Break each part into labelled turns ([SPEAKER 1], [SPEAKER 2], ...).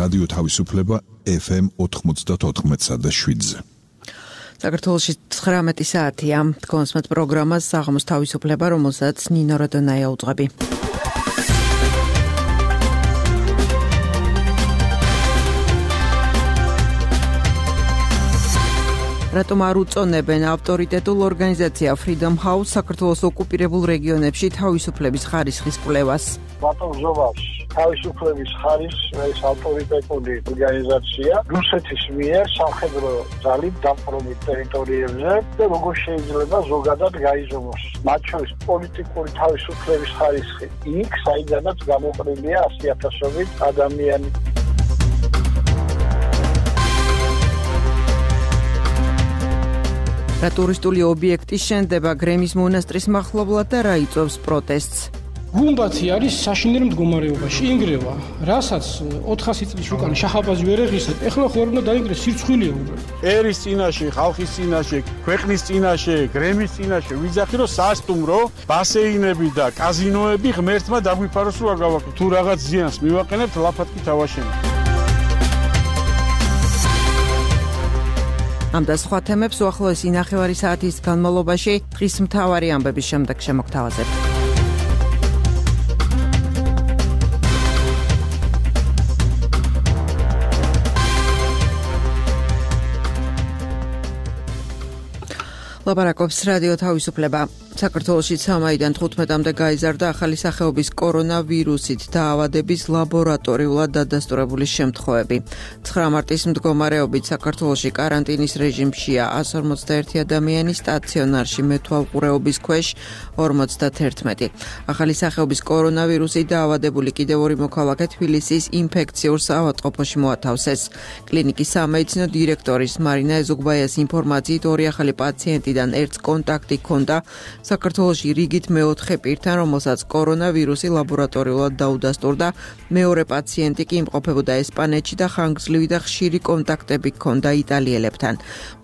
[SPEAKER 1] რადიო თავისუფლება FM 94.7-ზე.
[SPEAKER 2] საქართველოში 19 საათია. კონსმეთ პროგრამას საღამოს თავისუფლება, რომელსაც ნინო როდონაია უძღვები. რატომ არ უწონებენ ავტორიტეტულ ორგანიზაცია Freedom House საქართველოს ოკუპირებულ რეგიონებში თავისუფლების ხარისხის კვლევას?
[SPEAKER 3] ბატონ ზოვას თავისუფლების ხარისხის ავტორიტეტული ორგანიზაცია რუსეთის მიერ სამხედრო ძალით დაპყრობილ ტერიტორიებზე და როგორ შეიძლება ზოგადად გაიზომოს. მათ შორის პოლიტიკური თავისუფლების ხარისხი იქ, საიდანაც გამოყრილია 100,000-ობით ადამიანი.
[SPEAKER 2] რა ტურისტული ობიექტი შენდება გრემის მონასტრის მახლობლად და რა იწვევს პროტესტს?
[SPEAKER 4] გუმბათი არის საშინელ მდგომარეობაში, ინგრევა, რასაც 400 წლის უკან შაჰაბაზი ვერ ეღისათ, ეხლა ხო უნდა დაინგრეს სირცხვილია უკვე.
[SPEAKER 5] ერის წინაშე, ხალხის წინაშე, ქვეყნის წინაშე, გრემის წინაშე ვიძახი რომ სასტუმრო, ბასეინები და კაზინოები ღმერთმა დაგვიფაროს რომ არ გავაკეთოთ. თუ რაღაც ზიანს მივაყენებთ, ლაფათქი თავაშენებთ.
[SPEAKER 2] ამ და სხვა თემებს უახლოესი ნახევარი საათის განმავლობაში დღის მთავარი ამბების შემდეგ შემოგთავაზებთ. ლაპარაკობს რადიო თავისუფლება. საქართველოში 3-დან 15-მდე გაიზარდა ახალი სახეობის კორონავირუსით დაავადების ლაბორატორიულად დადასტურებული შემთხვევები. 9 მარტის მდგომარეობით საქართველოში კარანტინის რეჟიმშია 151 ადამიანი, სტაციონარში მეთვალყურეობის ქვეშ 51. ახალი სახეობის კორონავირუსით დაავადებული კიდევ 2 მოქალაქე თბილისის ინფექციურ საავადმყოფოში მოათავსეს. კლინიკის სამედიცინო დირექტორის მარინა ეზუგბაიას ინფორმაციით 2 ახალი პაციენტიდან ერთს კონტაქტი ჰქონდა საქართველოში რიგით მეოთხე პირთან, რომელსაც კორონავირუსი ლაბორატორიულად დაუდასტურდა. მეორე პაციენტი კი იმყოფებოდა ესპანეთში და ხანგრძლივი და ხშირი კონტაქტები ჰქონდა იტალიელებთან.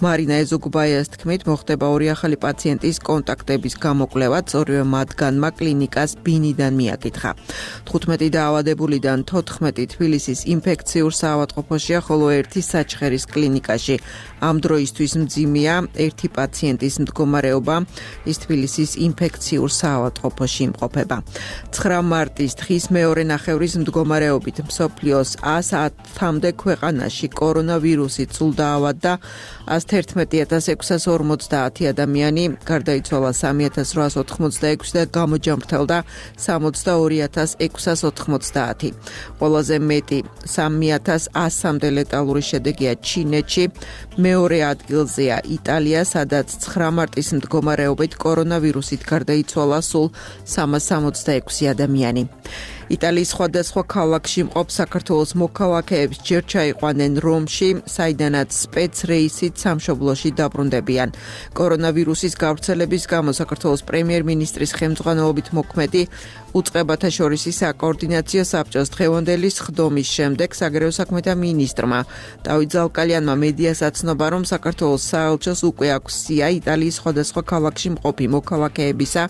[SPEAKER 2] მარინა ეზუგბაიას თქმით, მოხდება 2 ახალი პაციენტის კონტაქტების გამოკვლევაც, ორივე მათგანმა კლინიკას ბინიდან მიაკითხა. 15 დაავადებულიდან 14 თბილისის ინფექციურ საავადმყოფოშია, ხოლო 1 საჩხერის კლინიკაში. ამ დროისთვის მძიმეა 1 პაციენტის მდგომარეობა, ის თბილისის ინფექციურ საავადმყოფოში იმყოფება. 9 მარტის დღის მეორე ნახევრის მდგომარეობით მსოფლიოს 110-მდე ქვეყანაში კორონავირუსით სულ დაავადდა 111,650 ადამიანი, გარდაიცვალა 3,886 და გამოჯამრთელდა 62,690. ყველაზე მეტი 3,100-მდე ლეტალური შედეგია ჩინეთში, მეორე ადგილზეა იტალია, სადაც 9 მარტის მდგომარეობით კორონავირუსით გარდაიცვალა სულ 366 ადამიანი. იტალიის სხვადასხვა ქალაქში მყოფ საქართველოს მოქალაქეებს ჯერ ჩაიყვანენ რომში, საიდანაც სპეცრეისით სამშობლოში დაბრუნდებიან. კორონავირუსის გავრცელების გამო საქართველოს პრემიერ-მინისტრის ხელმძღვანელობით მოქმედი უწყებათა შორისი საკოორდინაციო საბჭოს დღევანდელი სხდომის შემდეგ საგარეო საქმეთა მინისტრმა დავით ზალკალიანმა მედიას აცნობა, რომ საქართველოს საელჩოს უკვე აქვს სია იტალიის სხვადასხვა ქალაქში მყოფი მოქალაქეებისა,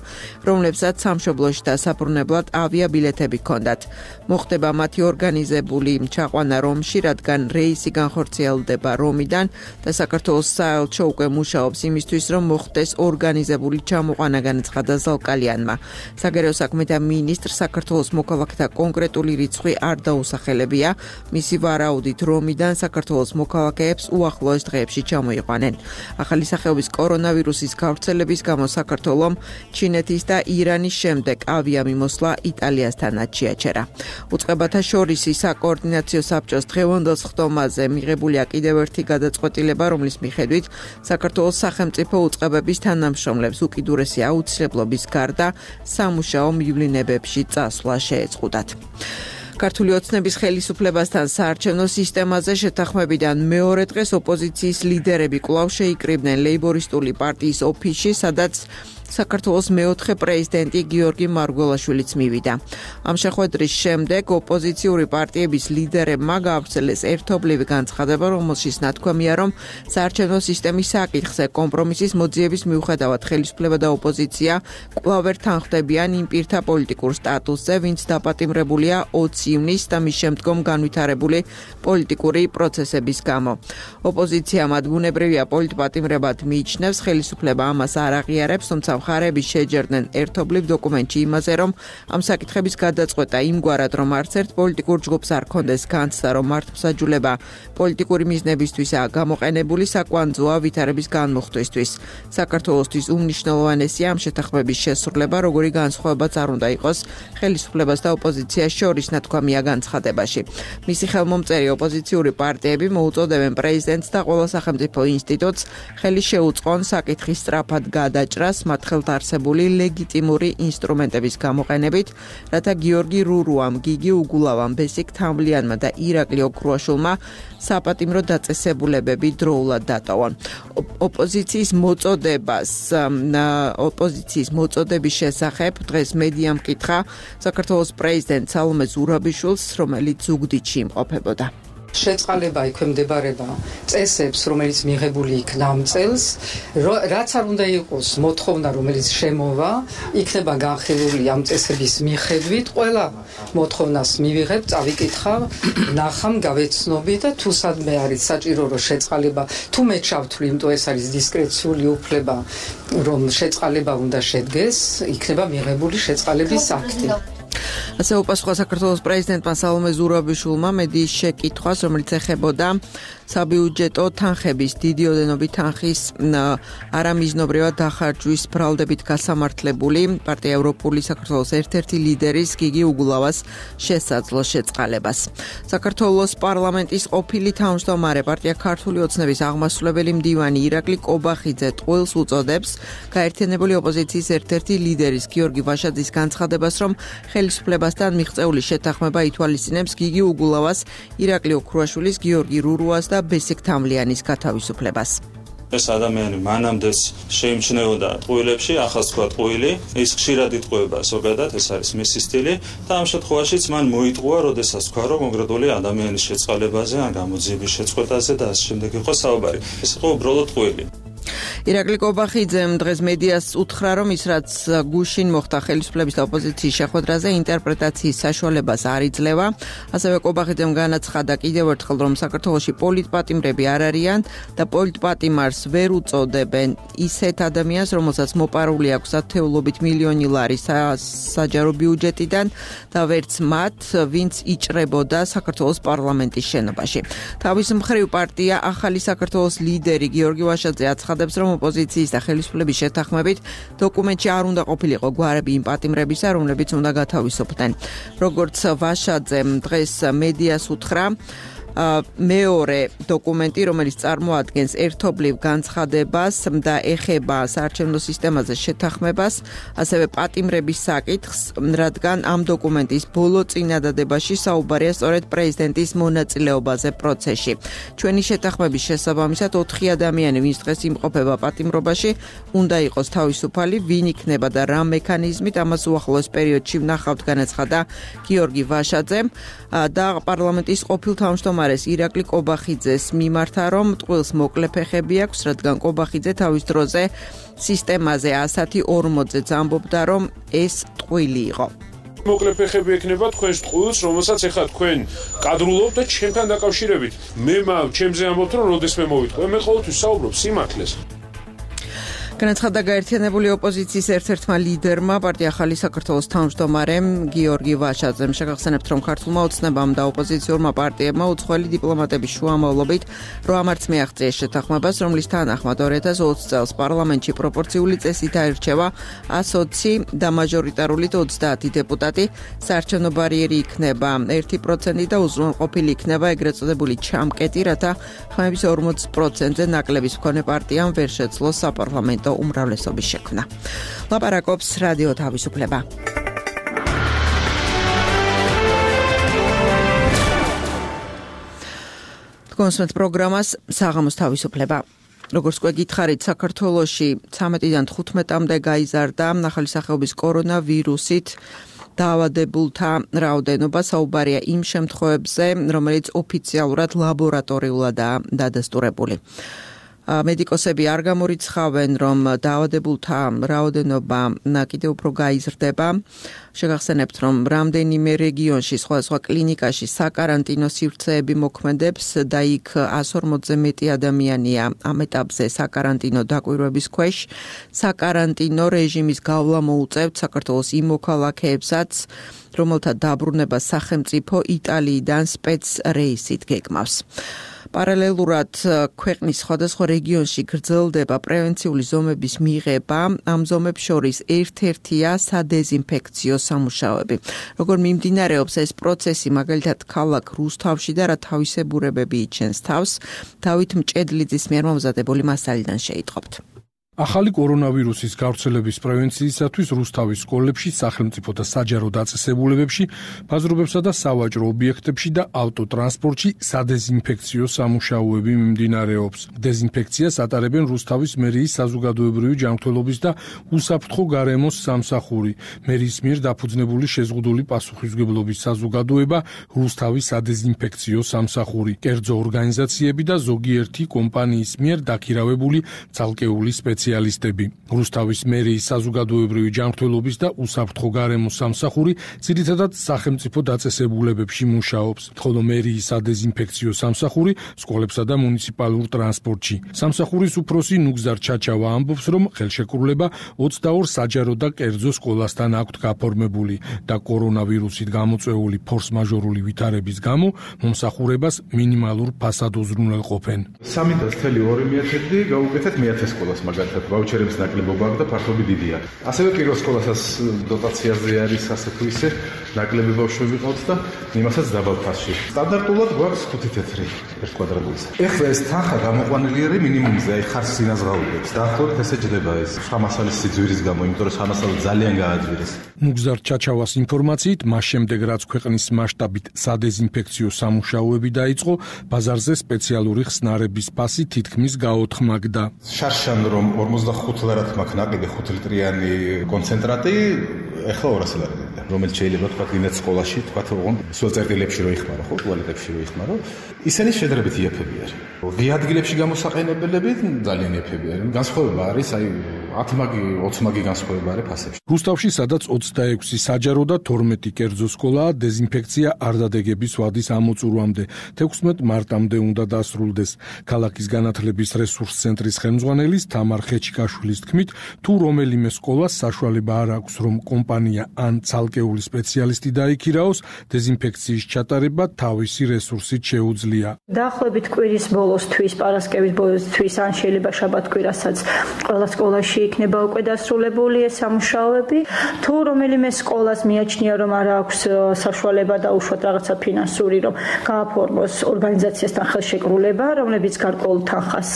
[SPEAKER 2] რომლებსაც სამშობლოში დასაბრუნებლად ავიაბილეთები ჰქონდათ. მოხდება მათი ორგანიზებული ჩაყვანა რომში, რადგან რეისი განხორციელდება რომიდან და საქართველოს საელჩო უკვე მუშაობს იმისთვის, რომ მოხდეს ორგანიზებული ჩამოყვანა, განაცხადა ზალკალიანმა. საგარეო საქმეთა მინისტრ საქართველოს მოქალაქეთა კონკრეტული რიცხვი არ დაუსახელებია. მისი ვარაუდით რომიდან საქართველოს მოქალაქეებს უახლოეს დღეებში ჩამოიყვანენ. ახალი სახეობის კორონავირუსის გავრცელების გამო საქართველომ ჩინეთის და ირანის შემდეგ ავიამიმოსვლა იტალიასთანაც შეაჩერა. უწყებათა შორისი საკოორდინაციო საბჭოს დღევანდელ სხდომაზე მიღებულია კიდევ ერთი გადაწყვეტილება, რომლის მიხედვით საქართველოს სახელმწიფო უწყებების თანამშრომლებს უკიდურესი აუცილებლობის გარდა სამუშაო მივლინებებში წასვლა შეეწყვუდათ. ქართული ოცნების ხელისუფლებასთან საარჩევნო სისტემაზე შეთანხმებიდან მეორე დღეს ოპოზიციის ლიდერები კვლავ შეიკრიბნენ ლეიბორისტული პარტიის ოფისში, სადაც საქართველოს მეოთხე პრეზიდენტი გიორგი მარგველაშვილიც მივიდა. ამ შეხვედრის შემდეგ ოპოზიციური პარტიების ლიდერებმა გაავრცელეს ერთობლივი განცხადება, რომელშიც ნათქვამია, რომ საარჩევნო სისტემის საკითხზე კომპრომისის მოძიების მიუხედავად ხელისუფლება და ოპოზიცია კვლავ ვერ თანხმდებიან იმ პირთა პოლიტიკურ სტატუსზე, ვინც დაპატიმრებულია 20 ივნისს და მის შემდგომ განვითარებული პოლიტიკური პროცესების გამო. ოპოზიცია მათ ბუნებრივია პოლიტპატიმრებად მიიჩნევს, ხელისუფლება ამას არ აღიარებს, თუმცა მხარეები შეჯერდნენ ერთობლივ დოკუმენტში იმაზე, რომ ამ საკითხების გადაწყვეტა იმგვარად, რომ არც ერთ პოლიტიკურ ჯგუფს არ ქონდეს განცდა, რომ მართლმსაჯულება პოლიტიკური მიზნებისთვისაა გამოყენებული, საკვანძოა ვითარების განმუხტვისთვის. საქართველოსთვის უმნიშვნელოვანესია ამ შეთანხმების შესრულება, როგორი განსხვავებაც არ უნდა იყოს ხელისუფლებას და ოპოზიციას შორის, ნათქვამია განცხადებაში. მისი ხელმომწერი ოპოზიციური პარტიები მოუწოდებენ პრეზიდენტს და ყველა სახელმწიფო ინსტიტუტს ხელი შეუწყონ საკითხის სწრაფად გადაჭრას მათ ხელთ არსებული ლეგიტიმური ინსტრუმენტების გამოყენებით, რათა გიორგი რურუამ, გიგი უგულავამ, ბესიკ თამლიანმა და ირაკლი ოქრუაშვილმა საპატიმრო დაწესებულებები დროულად დატოვონ. ოპოზიციის მოწოდების შესახებ დღეს მედიამ კითხა საქართველოს პრეზიდენტ სალომე ზურაბიშვილს, რომელიც ზუგდიდში იმყოფებოდა.
[SPEAKER 6] შეწყალება ექვემდებარება წესებს, რომელიც მიღებული იქნა ამ წელს, რაც არ უნდა იყოს მოთხოვნა, რომელიც შემოვა, იქნება განხილული ამ წესების მიხედვით, ყველა მოთხოვნას მივიღებ, წავიკითხავ, ნახამ, გავეცნობი და თუ სადმე არის საჭირო რომ შეწყალება, თუ მე ჩავთვლი, იმიტომ ეს არის დისკრეციული უფლება, რომ შეწყალება უნდა შედგეს, იქნება მიღებული შეწყალების აქტი.
[SPEAKER 2] ასე უპასუხა საქართველოს პრეზიდენტმა სალომე ზურაბიშვილმა მედიის შეკითხვას, რომელიც ეხებოდა საბიუჯეტო თანხების, დიდი ოდენობით თანხის არამიზნობრივად დახარჯვის ბრალდებით გასამართლებული პარტია ევროპული საქართველოს ერთ-ერთი ლიდერის გიგი უგულავას შესაძლო შეწყალებას. საქართველოს პარლამენტის ყოფილი თავმჯდომარე პარტია ქართული ოცნების აღმასრულებელი მდივანი ირაკლი კობახიძე ტყუილს უწოდებს გაერთიანებული ოპოზიციის ერთ-ერთი ლიდერის გიორგი ვაშაძის განცხადებას, რომ ხელისუფლებასთან მიღწეული შეთანხმება ითვალისწინებს გიგი უგულავას, ირაკლი ოქრუაშვილის, გიორგი რურუას და ბესიკ თამლიანის გათავისუფლებას.
[SPEAKER 7] ეს ადამიანი მანამდეც შეიმჩნეოდა ტყუილებში, ახლა თქვა ტყუილი, ის ხშირად იტყუება ზოგადად, ეს არის მისი სტილი და ამ შემთხვევაშიც მან მოიტყუა, როდესაც თქვა, რომ კონკრეტული ადამიანის შეწყალებაზე ან გამოძიების შეწყვეტაზე და ასე შემდეგ იყო საუბარი. ეს იყო უბრალოდ ტყუილი.
[SPEAKER 2] ირაკლი კობახიძემ დღეს მედიას უთხრა, რომ ის რაც გუშინ მოხდა ხელისუფლების და ოპოზიციის შეხვედრაზე ინტერპრეტაციის საშუალებას არ იძლევა. ასევე კობახიძემ განაცხადა კიდევ ერთხელ, რომ საქართველოში პოლიტპატიმრები არ არიან და პოლიტპატიმარს ვერ უწოდებენ ისეთ ადამიანს, რომელსაც მოპარული აქვს ათეულობით მილიონი ლარი საჯარო ბიუჯეტიდან და ვერც მათ, ვინც იჭრებოდა საქართველოს პარლამენტის შენობაში. თავის მხრივ პარტია ახალი საქართველოს ლიდერი გიორგი ვაშაძე აცხადებს, რომ ოპოზიციის და ხელისუფლების შეთანხმებით დოკუმენტში არ უნდა ყოფილიყო გვარები იმ პატიმრებისა, რომლებიც უნდა გათავისუფლდნენ. როგორც ვაშაძემ დღეს მედიას უთხრა, მეორე დოკუმენტი, რომელიც წარმოადგენს ერთობლივ განცხადებას და ეხება საარჩევნო სისტემაზე შეთანხმებას, ასევე პატიმრების საკითხს, რადგან ამ დოკუმენტის ბოლო წინადადებაში საუბარია სწორედ პრეზიდენტის მონაწილეობაზე პროცესში. ჩვენი შეთანხმების შესაბამისად 4 ადამიანი, ვინც დღეს იმყოფება პატიმრობაში, უნდა იყოს თავისუფალი, ვინ იქნება და რა მექანიზმით, ამას უახლოეს პერიოდში ვნახავთ, განაცხადა გიორგი ვაშაძემ და პარლამენტის ყოფილ თავმჯდომარეს ირაკლი კობახიძეს მიმართა, რომ ტყუილს მოკლე ფეხები აქვს, რადგან კობახიძე თავის დროზე სისტემაზე 140-ზე ამბობდა, რომ ეს ტყუილი იყო.
[SPEAKER 8] მოკლე ფეხები ექნება თქვენს ტყუილს, რომელსაც ეხლა თქვენ კადრულობთ და ჩემთან დაკავშირებით. მე ჩემზე ამბობთ, რომ როდესმე მოვიტყვე, მე ყოველთვის საუბრობ სიმართლეს.
[SPEAKER 2] განაცხადა გაერთიანებული ოპოზიციის ერთ-ერთმა ლიდერმა, პარტია ახალი საქართველოს თავმჯდომარემ გიორგი ვაშაძემ. შეგახსენებთ, რომ ქართულმა ოცნებამ და ოპოზიციურმა პარტიებმა უცხოელი დიპლომატების შუამავლობით რო ამარც მიაღწიეს შეთანხმებას, რომლის თანახმად 2020 წელს პარლამენტში პროპორციული წესით აირჩევა 120 და მაჟორიტარულით 30 დეპუტატი. საარჩევნო ბარიერი იქნება 1% და უზრუნველყოფილი იქნება ეგრეთ წოდებული ჩამკეტი, რათა ხმების 40%-ზე ნაკლების მქონე პარტიამ ვერ შეძლოს საპარლამენტო უმრავლესობის შექმნა. ლაპარაკობს რადიო თავისუფლება. კონსმეთ პროგრამას საღამოს თავისუფლება. როგორც გვეკითხარით, საქართველოში 13-დან 15-მდე გაიზარდა ახალი სახეობის კორონავირუსით დაავადებულთა რაოდენობა. საუბარია იმ შემთხვევებზე, რომელიც ოფიციალურად ლაბორატორიულადაა დადასტურებული. მედიკოსები არ გამორიცხავენ, რომ დაავადებულთა რაოდენობა კიდევ უფრო გაიზრდება. შეგახსენებთ, რომ რამდენიმე რეგიონში, სხვადასხვა კლინიკაში საკარანტინო სივრცეები მოქმედებს და იქ 140-ზე მეტი ადამიანია ამ ეტაპზე საკარანტინო დაკვირვების ქვეშ. საკარანტინო რეჟიმის გავლა მოუწევთ საქართველოს იმ მოქალაქეებსაც, რომელთა დაბრუნება სახელმწიფო იტალიიდან სპეცრეისით გეგმავს. პარალელურად ქვეყნის სხვადასხვა რეგიონში გრძელდება პრევენციული ზომების მიღება. ამ ზომებს შორის ერთ-ერთია სადეზინფექციო სამუშაოები. როგორ მიმდინარეობს ეს პროცესი, მაგალითად ქალაქ რუსთავში და რა თავისებურებები იჩენს თავს, დავით მჭედლიძის მიერ მომზადებული მასალიდან შეიტყობთ.
[SPEAKER 9] ახალი კორონავირუსის გავრცელების პრევენციისათვის რუსთავის სკოლებში, სახელმწიფო და საჯარო დაწესებულებებში, ბაზრობებსა და სავაჭრო ობიექტებში და ავტოტრანსპორტში სადეზინფექციო სამუშაოები მიმდინარეობს. დეზინფექციას ატარებენ რუსთავის მერიის საზოგადოებრივი ჯანმრთელობის და უსაფრთხო გარემოს სამსახური. მერიის მიერ დაფუძნებული შეზღუდული პასუხისმგებლობის საზოგადოება რუსთავის სადეზინფექციო სამსახური, კერძო ორგანიზაციები და ზოგიერთი კომპანიის მიერ დაქირავებული ცალკეული სპეციალისტები. რუსთავის მერიის საზოგადოებრივი ჯანმრთელობის და უსაფრთხო გარემოს სამსახური ძირითადად სახელმწიფო დაწესებულებებში მუშაობს, ხოლო მერიის სადეზინფექციო სამსახური სკოლებსა და მუნიციპალურ ტრანსპორტში. სამსახურის უფროსი ნუგზარ ჩაჩავა ამბობს, რომ ხელშეკრულება 22 საჯარო და კერძო სკოლასთან აქვთ გაფორმებული და კორონავირუსით გამოწვეული ფორს-მაჟორული ვითარების გამო მომსახურებას მინიმალურ ფასად უზრუნველყოფენ.
[SPEAKER 10] 3.2 მილიარდი გაუკეთეთ მე-10 სკოლას მაგალითად ვაუჩერების ნაკლებობა აქვს და ფართობი დიდია. ასევე პირველ სკოლასაც დოტაციაზე არის ასე თუ ისე ნაკლები ბავშვები ყავთ და იმასაც დაბალ ფასში. სტანდარტულად გვაქვს 5 თეთრი ერთ კვადრატულზე. ეხლა ეს თანხა გამოყვანილი არის მინიმუმზე, აი ხარს ინაზღაურებს. დაახლოებით ესე ჯდება ეს შრამასალის სიძვირის გამო, იმიტომ რომ შრამასალი ძალიან გააძვირეს.
[SPEAKER 9] ნუგზარ ჩაჩავას ინფორმაციით, მას შემდეგ რაც ქვეყნის მასშტაბით სადეზინფექციო სამუშაოები დაიწყო, ბაზარზე სპეციალური ხსნარების ფასი თითქმის გაოთხმაგდა.
[SPEAKER 10] შარშან რომ 45 ლარად მაქვს ნაკლები 5 ლიტრიანი კონცენტრატი, ეხლა 200 ლარი და რომელიც შეიძლება თქვა გინდათ სკოლაში, თქვა რომ სულ წერტილებში რო იხმარო, ხო, ტუალეტებში რო იხმარო, ისინი შედარებით იაფები არის. ღია ადგილებში გამოსაყენებლები ძალიან იაფები არის. განსხვავება არის, აი 10 მაგი, 20 მაგი განსხვავება არის ფასებში.
[SPEAKER 9] რუსთავში, სადაც 26 საჯარო და 12 კერძო სკოლაა, დეზინფექცია არ დადეგების ვადის ამოწურვამდე 16 მარტამდე უნდა დასრულდეს. ქალაქის განათლების რესურს ცენტრის ხელმძღვანელის თამარ ხეჩიკაშვილის თქმით, თუ რომელიმე სკოლას საშუალება არ აქვს, რომ კომპანია ან ცალკეული სპეციალისტი დაიქირაოს, დეზინფექციის ჩატარება თავისი რესურსით შეუძლია.
[SPEAKER 11] დაახლოებით კვირის ბოლოსთვის, პარასკევის ბოლოსთვის, ან შეიძლება შაბათ-კვირასაც ყველა სკოლაში იქნება უკვე დასრულებული ეს სამუშაოები. თუ რომელიმე სკოლას მიაჩნია, რომ არ აქვს საშუალება და უშუალოდ რაღაცა ფინანსური, რომ გააფორმოს ორგანიზაციასთან ხელშეკრულება, რომლებიც გარკვეულ თანხას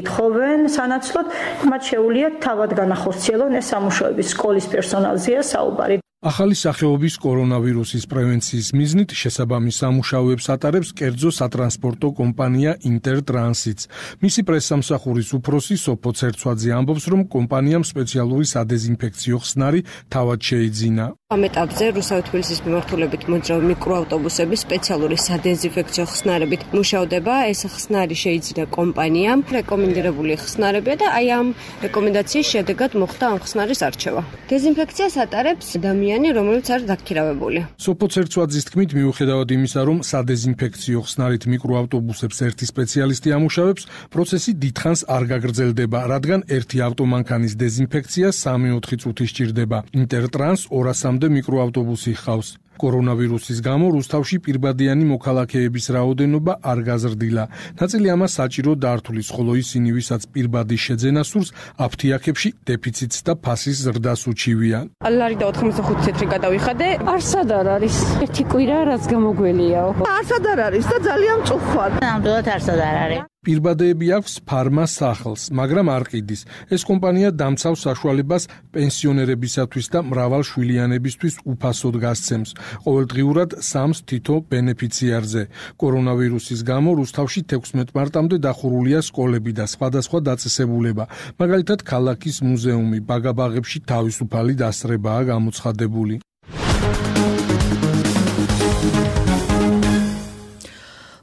[SPEAKER 11] ითხოვენ სანაცვლოდ, მათ შეუძლიათ თავად განახორციელონ ეს სამუშაოები. სკოლის პერსონალზეა საუბარი.
[SPEAKER 9] ახალი სახეობის კორონავირუსის პრევენციის მიზნით შესაბამის სამუშაოებს ატარებს კერძო სატრანსპორტო კომპანია ინტერტრანსიც. მისი პრესსამსახურის უფროსი სოფო ცერცვაძე ამბობს, რომ კომპანიამ სპეციალური სადეზინფექციო ხსნარი თავად შეიძინა.
[SPEAKER 12] ამ ეტაპზე რუსთავის თბილისის მიმართულებით მოძრავი მიკროავტობუსები სპეციალური სადეზინფექციო ხსნარებით მუშადება. ეს ხსნარი შეიძინა კომპანიამ, რეკომენდირებული ხსნარებია და აი ამ რეკომენდაციის შედეგად მოხდა ამ ხსნარის არჩევა. დეზინფექციას ატარებს ადამიანი, რომელიც არის დაქირავებული.
[SPEAKER 9] სოფო ცერცვაძის თქმით, მიუხედავად იმისა, რომ სადეზინფექციო ხსნარით მიკროავტობუსებს ერთი სპეციალისტი ამუშავებს, პროცესი დიდხანს არ გაგრძელდება, რადგან ერთი ავტომანქანის დეზინფექცია 3-4 წუთი სჭირდება. ინტერტრანს 200-მდე მიკროავტობუსი ჰყავს. კორონავირუსის გამო რუსთავში პირბადიანი მოქალაქეების რაოდენობა არ გაზრდილა. ნაწილი ამას საჭირო დართulis, ხოლო ისინი, ვისაც პირბადის შეძენა სურს, აფთიაქებში დეფიციტს და ფასის ზრდას უჩივიან.
[SPEAKER 13] ლარი და 85 თეთრი გადავიხადე. არსად არ არის. ერთი კვირა რაც გამოგველიაო. არსად არ არის და ძალიან მწუხვარ.
[SPEAKER 14] ნამდვილად არსად არ არის.
[SPEAKER 9] პირბადეები აქვს ფარმა სახლს, მაგრამ არ ყიდის. ეს კომპანია დამცავს საშუალებას პენსიონერებისათვის და მრავალშვილიანებისთვის უფასოდ გასცემს. ყოველდღიურად 3 თითო ბენეფიციარზე. კორონავირუსის გამო რუსთავში 16 მარტამდე დახურულია სკოლები და სხვადასხვა დაწესებულება. მაგალითად, ქალაქის მუზეუმი, ბაგაბაღებში თავისუფალი დასწრებაა გამოცხადებული.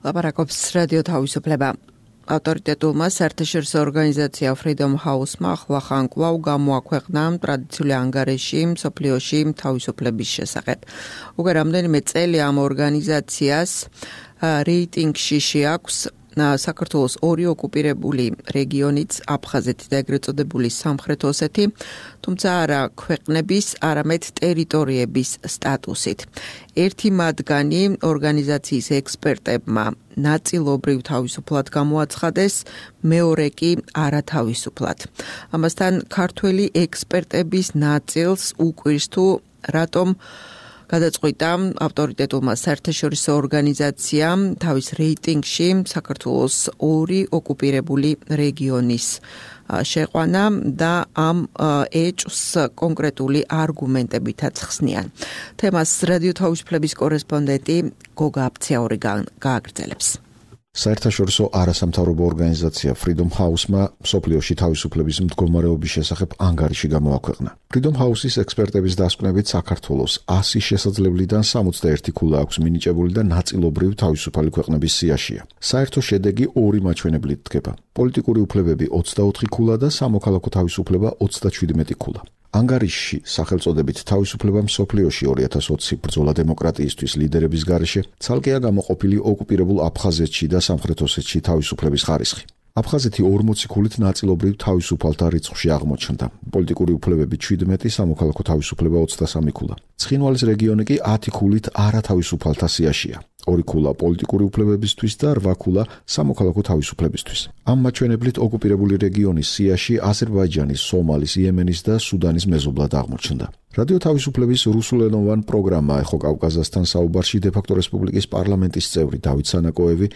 [SPEAKER 2] ლაპარაკობს რადიო თავისუფლება. ავტორიტეტულმა საერთაშორისო ორგანიზაცია Freedom House-მა ახლახან კვლავ გამოაქვეყნა ტრადიციული ანგარიში მსოფლიოში თავისუფლების შესახებ. უკვე რამდენიმე წელი ამ ორგანიზაციას რეიტინგში შეაქვს საქართველოს 2 ოკუპირებული რეგიონიც, აფხაზეთი და ეგრეთ წოდებული სამხრეთ ოსეთი, თუმცა არა ქვეყნების, არამედ ტერიტორიების სტატუსით. ერთი მათგანი ორგანიზაციის ექსპერტებმა ნაწილობრივ თავისუფლად გამოაცხადეს, მეორე კი არათავისუფლად. ამასთან ქართველი ექსპერტების ნაწილს უკვირს თუ რატომ გადაწყვიტა ავტორიტეტულმა საერთაშორისო ორგანიზაციამ თავის რეიტინგში საქართველოს 2 ოკუპირებული რეგიონის შეყვანა და ამ ეჭვს კონკრეტული არგუმენტებითაც ხსნიან. თემას რადიო თავისუფლების კორესპონდენტი გოგა აფციაური გააგრძელებს.
[SPEAKER 14] საერთაშორისო არასამთავრობო ორგანიზაცია Freedom House-მა მსოფლიოში თავისუფლების მდგომარეობის შესახებ ანგარიში გამოაქვეყნა. Freedom House-ის ექსპერტების დასკვნებით საქართველოს 100 შესაძლებლიდან 61 ქულა აქვს მინიჭებული და ნაწილობრივ თავისუფალი ქვეყნების სიაშია. საერთო შედეგი 2 მაჩვენებლით დგება. პოლიტიკური უფლებები 24 ქულა და სამოქალაქო თავისუფლება 37 ქულა. ანგარიშში სახელწოდებით თავისუფლება მსოფლიოში 2020 ბრძოლა დემოკრატიისთვის ლიდერების გარეშე ცალკეა გამოყოფილი ოკუპირებულ აფხაზეთში და სამხრეთ ოსეთში თავისუფლების ხარისხი. აფხაზეთი 40 ქულით ნაწილობრივ თავისუფალთა რიცხვში აღმოჩნდა. პოლიტიკური უფლებები 17, სამოქალაქო თავისუფლება 23 ქულა. ცხინვალის რეგიონი კი 10 ქულით არათავისუფალთა სიაშია. 2 ქულა პოლიტიკური უფლებებისთვის და 8 ქულა სამოქალაქო თავისუფლებისთვის. ამ მაჩვენებლით ოკუპირებული რეგიონის სიაში აზერბაიჯანის, სომალის, იემენის და სუდანის მეზობლად აღმოჩნდა. რადიო თავისუფლების რუსულენოვან პროგრამა ეხო კავკაზასთან საუბარში დე-ფაქტო რესპუბლიკის პარლამენტის წევრი დავით სანაკოევი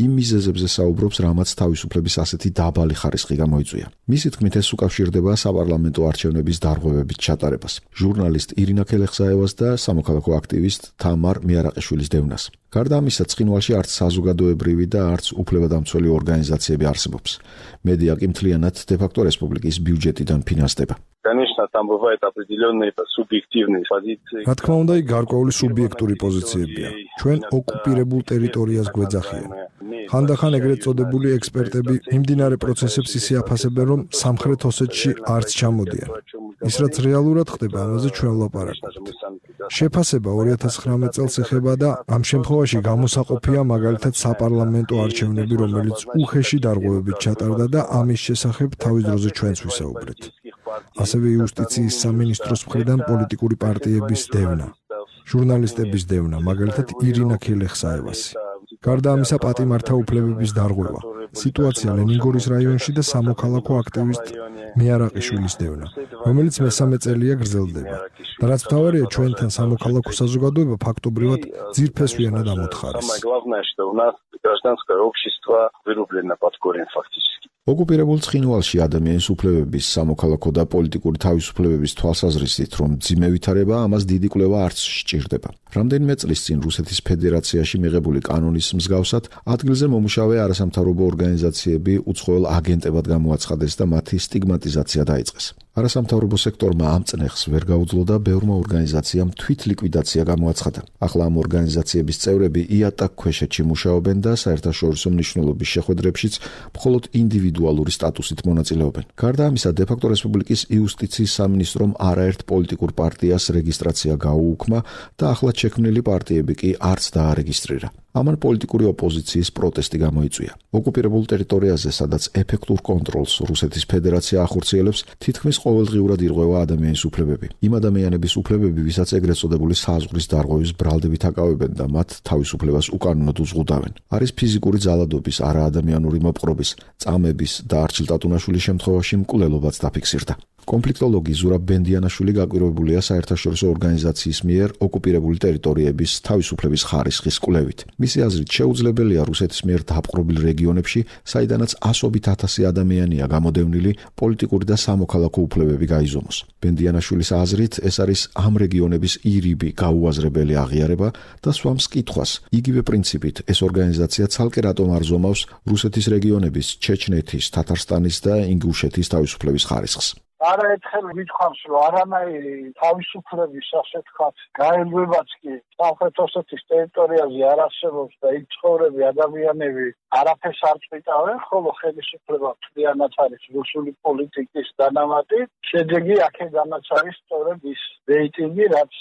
[SPEAKER 14] იმ მიზეზებზე საუბრობს, რამაც თავისუფლების ასეთი დაბალი ხარისხი გამოიწვია. მისი თქმით, ეს უკავშირდება საპარლამენტო არჩევნების დარღვევებით ჩატარებას. ჟურნალისტ ირინა ქელეხსაევას და სამოქალაქო აქტივისტ თამარ მიარაყიშვილის დევნას. გარდა ამისა, ცხინვალში არც საზოგადოებრივი და არც უფლებადამცველი ორგანიზაციები არსებობს. მედია კი მთლიანად დე-ფაქტო რესპუბლიკის ბიუჯეტიდან ფინანსდება.
[SPEAKER 15] Конечно, там бывают определенные субъективные позиции.
[SPEAKER 16] რა თქმა უნდა, გარკვეული სუბიექტური პოზიციებია. ჩვენ ოკუპირებულ ტერიტორიას გვეძახიან. ხანდახან ეგრეთ წოდებული ექსპერტები მიმდინარე პროცესებს ისე აფასებენ, რომ სამხრეთ ოსეთში არც ჩამოდიან. ის რაც რეალურად ხდება, ამაზე ჩვენ ვლაპარაკობთ. შეფასება 2019 წელს ეხება და ამ შემთხვევაში გამოსაყოფია მაგალითად საპარლამენტო არჩევნები, რომელიც უხეში დარღვევებით ჩატარდა და ამის შესახებ თავის დროზე ჩვენც ვისაუბრეთ. ასევე იუსტიციის სამინისტროს მხრიდან პოლიტიკური პარტიების დევნა, ჟურნალისტების დევნა, მაგალითად ირინა ქელეხსაევასი. გარდა ამისა, პატიმართა უფლებების დარღვევა, სიტუაცია ლენინგორის რაიონში და სამოქალაქო აქტივისტ მიარაყიშვილის დევნა, რომელიც მესამე წელია გრძელდება. და რაც მთავარია, ჩვენთან სამოქალაქო საზოგადოება ფაქტობრივად ძირფესვიანად ამოთხარეს.
[SPEAKER 14] ოკუპირებულ ცხინვალში ადამიანის უფლებების, სამოქალაქო და პოლიტიკური თავისუფლებების თვალსაზრისით, რომ მძიმე ვითარება, ამას დიდი კვლევა არც სჭირდება. რამდენიმე წლის წინ რუსეთის ფედერაციაში მიღებული კანონის მსგავსად, ადგილზე მომუშავე არასამთავრობო ორგანიზაციები უცხოელ აგენტებად გამოაცხადეს და მათი სტიგმატიზაცია დაიწყეს. არასამთავრობო სექტორმა ამ წნეხს ვერ გაუძლო და ბევრმა ორგანიზაციამ თვითლიკვიდაცია გამოაცხადა. ახლა ამ ორგანიზაციების წევრები იატაკ ქვეშეთში მუშაობენ და საერთაშორისო მნიშვნელობის შეხვედრებშიც მხოლოდ ინდივიდუალური სტატუსით მონაწილეობენ. გარდა ამისა, დე-ფაქტო რესპუბლიკის იუსტიციის სამინისტრომ არაერთ პოლიტიკურ პარტიას რეგისტრაცია გაუუქმა და ახლად შექმნილი პარტიები კი არც დაარეგისტრირა. ამან პოლიტიკური ოპოზიციის პროტესტი გამოიწვია. ოკუპირებულ ტერიტორიაზე, სადაც ეფექტურ კონტროლს რუსეთის ფედერაცია ახორციელებს, თითქმის ყოველდღიურად ირღვევა ადამიანის უფლებები. იმ ადამიანების უფლებები, ვისაც ეგრეთ წოდებული საზღვრის დარღვევის ბრალდებით აკავებენ და მათ თავისუფლებას უკანონოდ უზღუდავენ. არის ფიზიკური ძალადობის, არაადამიანური მოპყრობის, წამების და არჩილ ტატუნაშვილის შემთხვევაში მკვლელობაც დაფიქსირდა. კონფლიქტოლოგი ზურაბ ბენდიანაშვილი გაკვირვებულია საერთაშორისო ორგანიზაციის მიერ ოკუპირებული ტერიტორიების თავისუფლების ხარისხის კვლევით. მისი აზრით, შეუძლებელია რუსეთის მიერ დაპყრობილ რეგიონებში, საიდანაც ასობით ათასი ადამიანია გამოდევნილი, პოლიტიკური და სამოქალაქო უფლებები გაიზომოს. ბენდიანაშვილის აზრით, ეს არის ამ რეგიონების ირიბი გაუაზრებელი აღიარება და swams კითხვას. იგივე პრინციპით ეს ორგანიზაცია ცალკე რატომ არ ზომავს რუსეთის რეგიონების, ჩეჩნეთის, თათარსტანის და ინგუშეთის თავისუფლების ხარისხს.
[SPEAKER 3] არაერთხელ ვითხოვს, რომ არანაირი თავისუფლების, ასე ვთქვათ, გაელვებაც კი სამხრეთ ოსეთის ტერიტორიაზე არ არსებობს და იქ ცხოვრები ადამიანები არაფერს არ წვითავენ, ხოლო ხელისუფლება მთლიანად არის რუსული პოლიტიკის დანამატი. შედეგი აქედანაც არის სწორედ ის რეიტინგი, რაც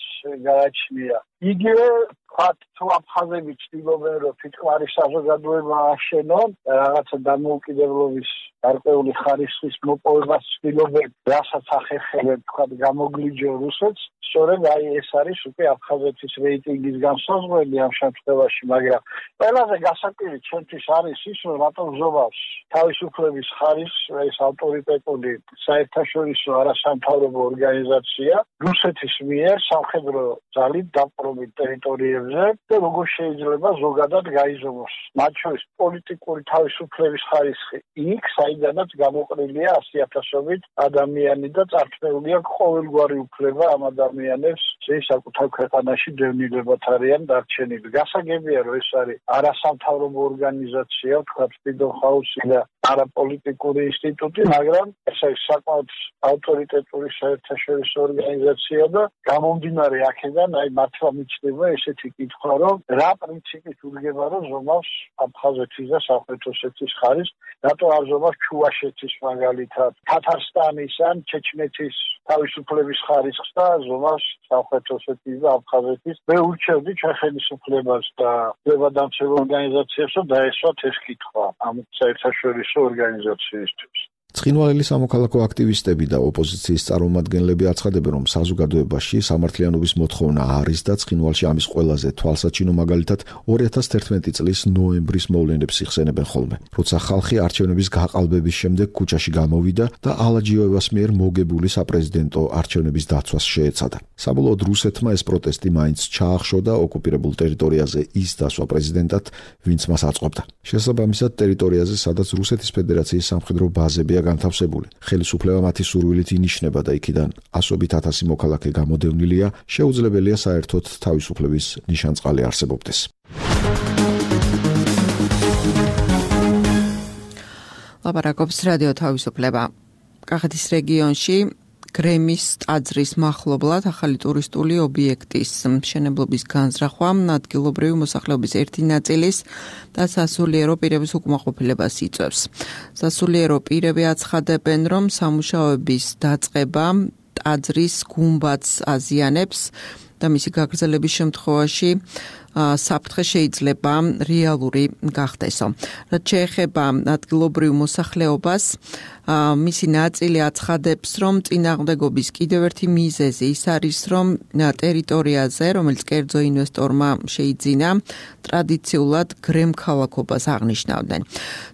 [SPEAKER 3] გააჩნია. იგივე ვთქვათ, თუ აფხაზები ცდილობენ, რომ თვითმფრინავი საზოგადოება აშენონ, რაღაცა დამოუკიდებლობის გარკვეული ხარისხის მოპოვებას ცდილობენ, რასაც ახერხებენ, ვთქვათ, გამოგლიჯო რუსეთს, სწორედ აი ეს არის უკვე აფხაზეთის რეიტინგის განსაზღვრელი ამ შემთხვევაში, მაგრამ ყველაზე გასაკვირი ჩემთვის არის ის, რომ რატომ ზომავს თავისუფლების ხარისხს ეს ავტორიტეტული საერთაშორისო არასამთავრობო ორგანიზაცია რუსეთის მიერ სამხედრო ძალით დაპყრობილ ტერიტორიებზე და როგორ შეიძლება ზოგადად გაიზომოს მათ შორის პოლიტიკური თავისუფლების ხარისხი იქ, საიდანაც გამოყრილია 100,000-ობით ადამიანი და წარჩნეულია ყოველგვარი უფლება ამ ადამიანებს საკუთარ ქვეყანაში დევნილებად არიან დარჩენილი. გასაგებია, რომ ეს არის არასამთავრობო ორგანიზაცია, ვთქვათ, Freedom House და არაპოლიტიკური ინსტიტუტი, მაგრამ ეს არის საკმაოდ ავტორიტეტული საერთაშორისო ორგანიზაცია და გამომდინარე აქედან, აი მართლა მიჩნდება ესეთი კითხვა, რომ რა პრინციპით უდგება, რომ ზომავს აფხაზეთის და სამხრეთ ოსეთის ხარისხს, რატო არ ზომავს ჩუვაშეთის მაგალითად, თათარსტანის ან ჩეჩნეთის თავისუფლების ხარისხს და ზომავს სამხრეთ ოსეთის და აფხაზეთის. მე ურჩევდი ჩვენ ხელისუფლებას და უფლებადამცავ ორგანიზაციებს, რომ დაესვათ ეს კითხვა ამ საერთაშორისო ორგანიზაციისთვის.
[SPEAKER 14] ცხინვალელი სამოქალაქო აქტივისტები და ოპოზიციის წარმომადგენლები აცხადებენ, რომ საზოგადოებაში სამართლიანობის მოთხოვნა არის და ცხინვალში ამის ყველაზე თვალსაჩინო მაგალითად 2011 წლის ნოემბრის მოვლენებს იხსენებენ ხოლმე, როცა ხალხი არჩევნების გაყალბების შემდეგ ქუჩაში გამოვიდა და ალაჯიოევას მიერ მოგებული საპრეზიდენტო არჩევნების დაცვას შეეცადა. საბოლოოდ რუსეთმა ეს პროტესტი მაინც ჩაახშო და ოკუპირებულ ტერიტორიაზე ის დასვა პრეზიდენტად, ვინც მას აწყობდა. შესაბამისად, ტერიტორიაზე, სადაც რუსეთის ფედერაციის სამხედრო ბაზებია განთავსებული. ხელისუფლება მათი სურვილით ინიშნება და იქიდან ასობით ათასი მოქალაქე გამოდევნილია, შეუძლებელია საერთოდ თავისუფლების ნიშანწყალი არსებობდეს.
[SPEAKER 2] ლაპარაკობს რადიო თავისუფლება. კახეთის რეგიონში გრემის ტაძრის მახლობლად ახალი ტურისტული ობიექტის მშენებლობის განზრახვა ადგილობრივი მოსახლეობის ერთი ნაწილის და სასულიერო პირების უკმაყოფილებას იწვევს. სასულიერო პირები აცხადებენ, რომ სამუშაოების დაწყება ტაძრის გუმბათს აზიანებს და მისი გაგრძელების შემთხვევაში საფრთხე შეიძლება რეალური გახდესო. რაც შეეხება ადგილობრივ მოსახლეობას, მისი ნაწილი აცხადებს, რომ წინააღმდეგობის კიდევ ერთი მიზეზი ის არის, რომ ტერიტორიაზე, რომელიც კერძო ინვესტორმა შეიძინა, ტრადიციულად გრემქალაქობას აღნიშნავდნენ.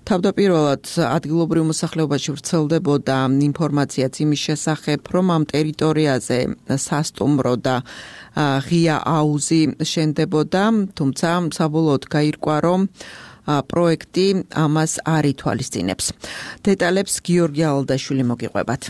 [SPEAKER 2] თავდაპირველად ადგილობრივ მოსახლეობაში ვრცელდებოდა ინფორმაციაც იმის შესახებ, რომ ამ ტერიტორიაზე სასტუმრო და ღია აუზი შენდებოდა, თუმცა საბოლოოდ გაირკვა, რომ პროექტი ამას არ ითვალისწინებს. დეტალებს გიორგი ალდაშვილი მოგიყვებათ.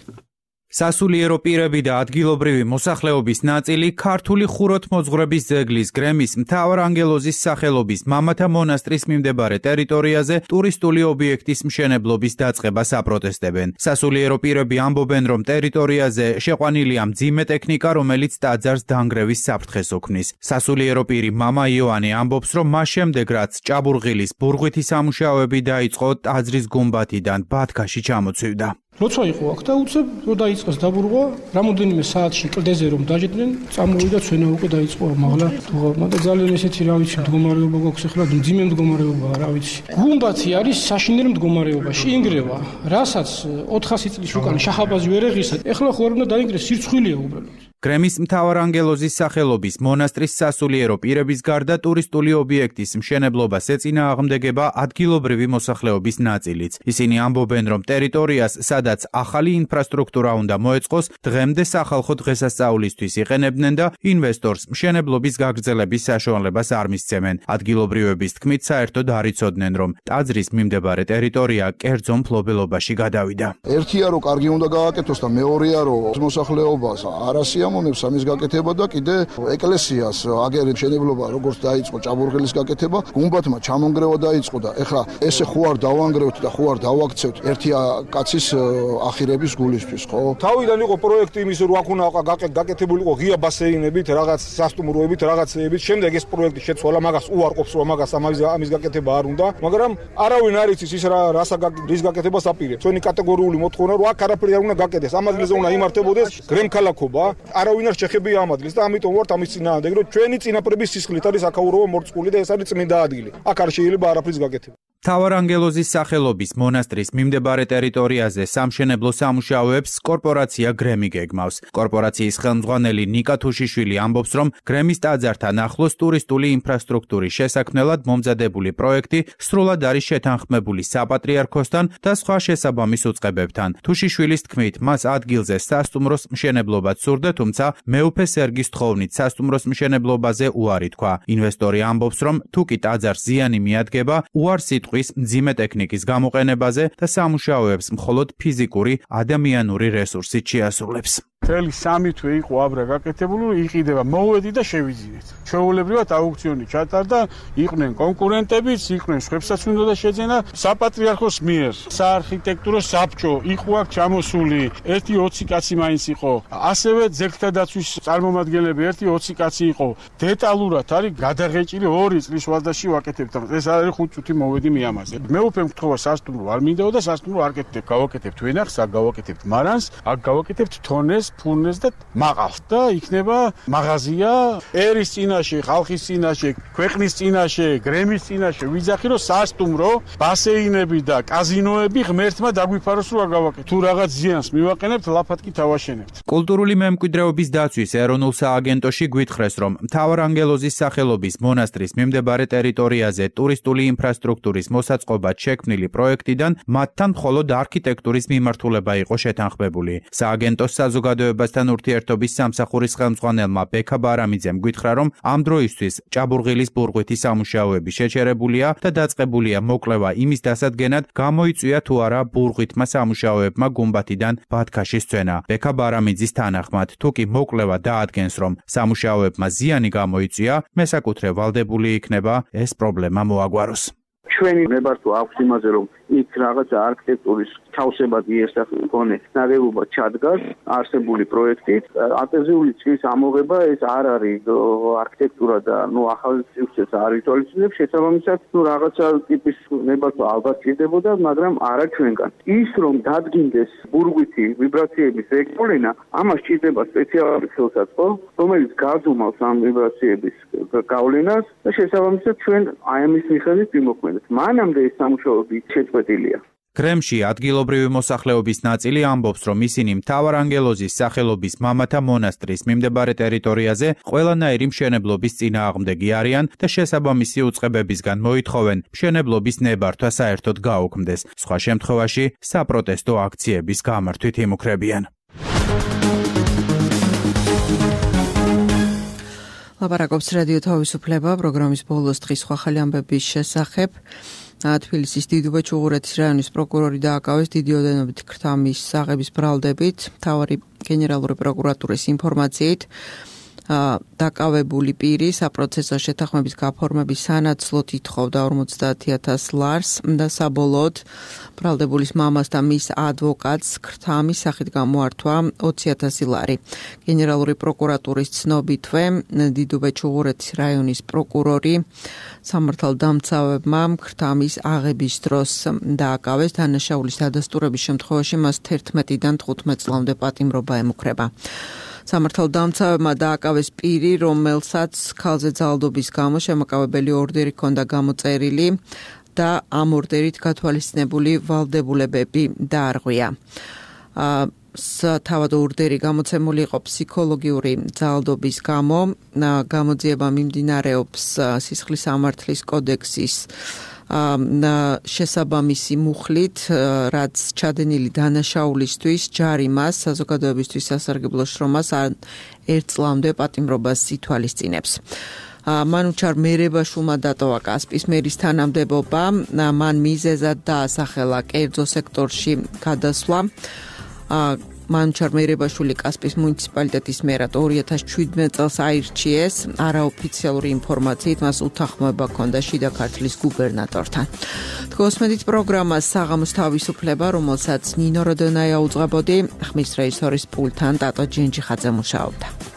[SPEAKER 17] სასულიერო პირები და ადგილობრივი მოსახლეობის ნაწილი ქართული ხუროთმოძღვრების ძეგლის გრემის მთავარანგელოზის სახელობის მამათა მონასტრის მიმდებარე ტერიტორიაზე ტურისტული ობიექტის მშენებლობის დაწყებას აპროტესტებენ. სასულიერო პირები ამბობენ, რომ ტერიტორიაზე შეყვანილია მძიმე ტექნიკა, რომელიც ტაძარს დანგრევის საფრთხეს ოქმნის. სასულიერო პირი მამა იოანე ამბობს, რომ მას შემდეგ, რაც ჭაბურღილის ბურღვითი სამუშაოები დაიწყო, ტაძრის გუმბათიდან ბათქაში ჩამოცივდა.
[SPEAKER 4] როცა იყო აქ და უცებ რო დაიწყეს დაბურღვა, რამოდენიმე საათში კლდეზე რომ დაჯდნენ, წამოვიდა ცვენა უკვე დაიწყო მაღლა დუღავმა და ძალიან ესეთი რა ვიცი მდგომარეობა გვაქვს ახლა, მძიმე მდგომარეობაა, რა ვიცი. გუმბათი არის საშინელ მდგომარეობაში, ინგრევა, რასაც 400 წლის უკან შაჰაბაზი ვერ ეღისა, ახლა ხო არ უნდა დაინგრეს, სირცხვილია უბრალოდ.
[SPEAKER 17] გრემის მთავარანგელოზის სახელობის მონასტრის სასულიერო პირების გარდა ტურისტული ობიექტის მშენებლობას ეწინააღმდეგება ადგილობრივი მოსახლეობის ნაწილიც. ისინი ამბობენ, რომ ტერიტორიას, სადაც ახალი ინფრასტრუქტურა უნდა მოეწყოს, დღემდე სახალხო დღესასწაულისთვის იყენებდნენ და ინვესტორს მშენებლობის გაგრძელების საშუალებას არ მისცემენ. ადგილობრივების თქმით, საერთოდ არ იცოდნენ, რომ ტაძრის მიმდებარე ტერიტორია კერძო მფლობელობაში გადავიდა.
[SPEAKER 18] ერთია რომ კარგი უნდა გააკეთოს და მეორეა რომ მოსახლეობას არ ასიამოვნებს ამის გაკეთება და კიდე ეკლესიას აგერი მშენებლობა როგორც დაიწყო ჭაბურღილის გაკეთება, გუმბათმა ჩამონგრევა დაიწყო და ეხლა ესე ხო არ დავანგრევთ და ხო არ დავაქცევთ ერთია კაცის ახირების გულისთვის, ხო?
[SPEAKER 19] თავიდან იყო პროექტი იმის რომ აქ უნდა გაკეთებული იყო ღია ბასეინებით, რაღაც სასტუმროებით, რაღაცეებით. შემდეგ ეს პროექტი შეცვალა, მაგას უარყოფს რომ მაგას ამის გაკეთება არ უნდა, მაგრამ არავინ არ იცის ის რის გაკეთებას აპირებს. ჩვენი კატეგორიული მოთხოვნა რომ აქ არაფერი არ უნდა გაკეთდეს, ამ ადგილზე უნდა იმართებოდეს გრემქალაქობა. არავინ არ შეხებია ამ ადგილს და ამიტომ ვართ ამის წინააღმდეგ, რომ ჩვენი წინაპრების სისხლით არის აქაურობა მორწმული და ეს არის წმინდა ადგილი. აქ არ შეიძლება არაფრის გაკეთება.
[SPEAKER 17] მთავარანგელოზის სახელობის მონასტრის მიმდებარე ტერიტორიაზე სამშენებლო სამუშაოებს კორპორაცია გრემი გეგმავს. კორპორაციის ხელმძღვანელი ნიკა თუშიშვილი ამბობს, რომ გრემის ტაძართან ახლოს ტურისტული ინფრასტრუქტურის შესაქმნელად მომზადებული პროექტი სრულად არის შეთანხმებული საპატრიარქოსთან და სხვა შესაბამის უწყებებთან. თუშიშვილის თქმით, მას ადგილზე სასტუმროს მშენებლობაც სურდა, თუმცა მეუფე სერგის თხოვნით სასტუმროს მშენებლობაზე უარი თქვა. ინვესტორი ამბობს, რომ თუკი ტაძარს ზიანი მიადგება, უარს იტყვის მძიმე ტექნიკის გამოყენებაზე და სამუშაოებს მხოლოდ ფიზიკური ადამიანური რესურსით შეასრულებს.
[SPEAKER 5] მთელი 3 თვე იყო აბრა გაკეთებული, იყიდება, მოვედი და შევიძინეთ. ჩვეულებრივად აუქციონი ჩატარდა, იყვნენ კონკურენტებიც, იყვნენ ხვებსაც უნდა შეძენა საპატრიარქოს მიერ. საარქიტექტურო საბჭო იყო აქ ჩამოსული, ერთი 20 კაცი მაინც იყო. ასევე ძეგლთა დაცვის წარმომადგენლები ერთი 20 კაცი იყო. დეტალურად არის გადაღეჭილი 2 წლის ვადაში ვაკეთებთ. ეს არის 5 წუთი მოვედი მიამაზე. მე უფემ გთხოვა სასტუმრო არ მინდაო და სასტუმრო არ კეთებ. გავაკეთებთ ვენახს, აქ გავაკეთებთ მარანს, აქ გავაკეთებთ თონეს, ფურნეს და მაყავს და იქნება მაღაზია ერის წინაშე, ხალხის წინაშე, ქვეყნის წინაშე, გრემის წინაშე, ვიძახი რომ სასტუმრო, ბასეინები და კაზინოები ღმერთმა დაგვიფაროს რომ არ გავაკეთოთ. თუ რაღაც ზიანს მივაყენებთ, ლაფად კი თავაშენებთ.
[SPEAKER 17] კულტურული მემკვიდრეობის დაცვის ეროვნულ სააგენტოში გვითხრეს, რომ მთავარანგელოზის სახელობის მონასტრის მიმდებარე ტერიტორიაზე ტურისტული ინფრასტრუქტურის მოსაწყობად შექმნილი პროექტიდან მათთან მხოლოდ არქიტექტურის მიმართულება იყო შეთანხმებული. სააგენტოს საზოგადოებასთან ურთიერთობის სამსახურის ხელმძღვანელმა ბექა ბარამიძემ გვითხრა, რომ ამ დროისთვის ჭაბურღილის ბურღვითი სამუშაოები შეჩერებულია და დაწყებულია მოკვლევა იმის დასადგენად, გამოიწვია თუ არა ბურღვითმა სამუშაოებმა გუმბათიდან ბათქაშის წვენა. ბექა ბარამიძის თანახმად, თუკი მოკვლევა დაადგენს, რომ სამუშაოებმა ზიანი გამოიწვია, მესაკუთრე ვალდებული იქნება ეს პრობლემა მოაგვაროს.
[SPEAKER 20] ჩვენი ნებართვა აქვს იმაზე, რომ იქ რაღაცა არქიტექტურის თავსებადი ესახონე ნაგებობა ჩადგას არსებული პროექტით. ატეზიული წრის ამოღება ეს არ არის არქიტექტურა და ახალი სივრცეს არ ითვალისწინებს. შესაბამისად, რაღაცა ტიპის ნებართვა ალბათ ჭირდებოდა, მაგრამ არა ჩვენგან. ის რომ დადგინდეს ბურგვითი ვიბრაციების რეგულირება, ამას ჭირდება სპეციალური ხელსაწყო, რომელიც გაძუმავს ამ ვიბრაციების გავლენას და შესაბამისად ჩვენ აი ამის მიხედვით ვიმოქმედებთ. მანამდე ეს სამუშაოები შეწყვეტილია.
[SPEAKER 17] გრემში ადგილობრივი მოსახლეობის ნაწილი ამბობს, რომ ისინი მთავარანგელოზის სახელობის მამათა მონასტრის მიმდებარე ტერიტორიაზე ყველანაირი მშენებლობის წინააღმდეგი არიან და შესაბამისი უწყებებისგან მოითხოვენ მშენებლობის ნებართვა საერთოდ გაუქმდეს. სხვა შემთხვევაში საპროტესტო აქციების გამართვით იმუქრებიან.
[SPEAKER 2] ლაპარაკობს რადიო თავისუფლება პროგრამის ბოლოს დღის სხვა ხალი ამბების შესახებ. თბილისის დიდუბე ჩუღურეთის რაიონის პროკურორი დააკავეს დიდი ოდენობით ქრთამის საღების ბრალდებით. მთავარი გენერალური პროკურატურის ინფორმაციით დაკავებული პირი საპროცესო შეთანხმების გაფორმების სანაცვლოდ ითხოვდა 50,000 ლარს და საბოლოოდ ბრალდებულის მამას და მის ადვოკატს ქრთამის სახით გამოართვა 20,000 ლარი. გენერალური პროკურატურის ცნობითვე დიდუბე ჩუღურეთის რაიონის პროკურორი სამართალდამცავებმა ქრთამის აღების დროს დააკავეს. დანაშაულის დადასტურების შემთხვევაში მას 11-დან 15 წლამდე პატიმრობა ემუქრება. სამართალდამცავებმა დააკავეს პირი, რომელსაც ქალზე ძალადობის გამო შემაკავებელი ორდერი ჰქონდა გამოწერილი და ამ ორდერით გათვალისწინებული ვალდებულებები დაარღვია. თავად ორდერი გამოცემული იყო ფსიქოლოგიური ძალადობის გამო. გამოძიება მიმდინარეობს სისხლის სამართლის კოდექსის შესაბამისი მუხლით, რაც ჩადენილი დანაშაულისთვის ჯარიმას, საზოგადოებისთვის სასარგებლო შრომას ან 1 წლამდე პატიმრობას ითვალისწინებს. მანუჩარ მერებაშულმა დატოვა კასპის მერის თანამდებობა, მან მიზეზად დაასახელა კერძო სექტორში გადასვლა. მანუჩარ მერებაშვილი კასპის მუნიციპალიტეტის მერად 2017 წელს აირჩიეს. არაოფიციალური ინფორმაციით მას უთანხმოება ჰქონდა შიდა ქართლის გუბერნატორთან. თქოსმედით პროგრამას საღამოს თავისუფლება, რომელსაც ნინო როდონაია უძღვებოდი, ხმის რეჟისორის პულტთან ტატო ჯენჯიხაძე მუშაობდა.